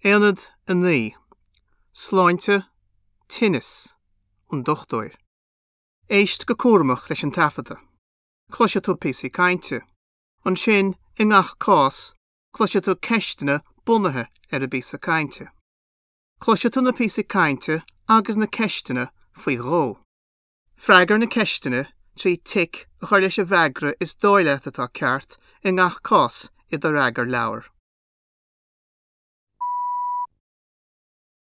Aonad 9, Sláinte, Tinneas, An Dochtúir. Éist go cúramach leis an taifeadadh. Cloisfidh tú píosaí cainte. Ansin, i ngach cás, cloisfidh tú ceisteanna bunaithe ar an bpíosa cainte. Cloisfidh tú na píosaí cainte agus na ceisteanna faoi dhó. Freagair na ceisteanna trí tic a chur leis an bhfreagra is dóigh leat atá ceart i ngach cás i do fhreagarleabhar.